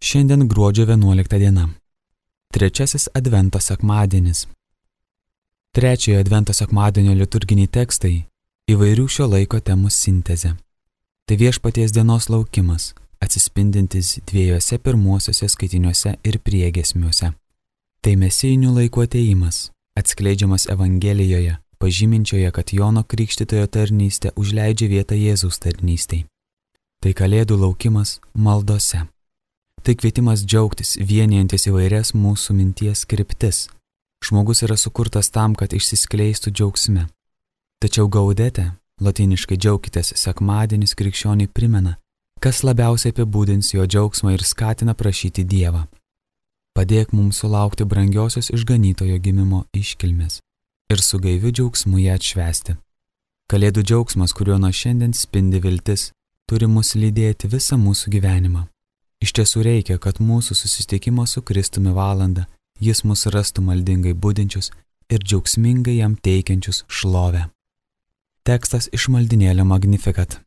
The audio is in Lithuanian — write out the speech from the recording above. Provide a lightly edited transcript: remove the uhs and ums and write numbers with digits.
Šiandien gruodžio 11 diena. Trečiasis Advento sekmadienis. Trečiojo Advento sekmadienio liturginiai tekstai įvairių šio laiko temų sintezė. Tai Viešpaties dienos laukimas, atsispindintis dviejose pirmuosiuose skaitiniuose ir priegiesmiuose. Tai mesijinių laikų atėjimas, atskleidžiamas Evangelijoje, pažyminčioje, kad Jono Krikštytojo tarnystė užleidžia vietą Jėzaus tarnystei. Tai Kalėdų laukimas maldose. Tai kvietimas džiaugtis, vienijantis įvairias mūsų minties kryptis. Žmogus yra sukurtas tam, kad išsiskleistų džiaugsme. Tačiau gaudete, lotyniškai džiaukitės, sekmadienis krikščioniui primena, kas labiausiai apibūdins jo džiaugsmą ir skatina prašyti Dievą. Padėk mums sulaukti brangiosios išganytojo gimimo iškilmės ir su gaiviu džiaugsmu ją atšvęsti. Kalėdų džiaugsmas, kuriuo nuo šiandien spindi viltis, turi mus lydėti visą mūsų gyvenimą. Iš tiesų reikia, kad mūsų susitikimo su Kristumi valandą jis mus rastų maldingai budinčius ir džiaugsmingai jam teikiančius šlovę. Tekstas iš maldinėlio Magnificat.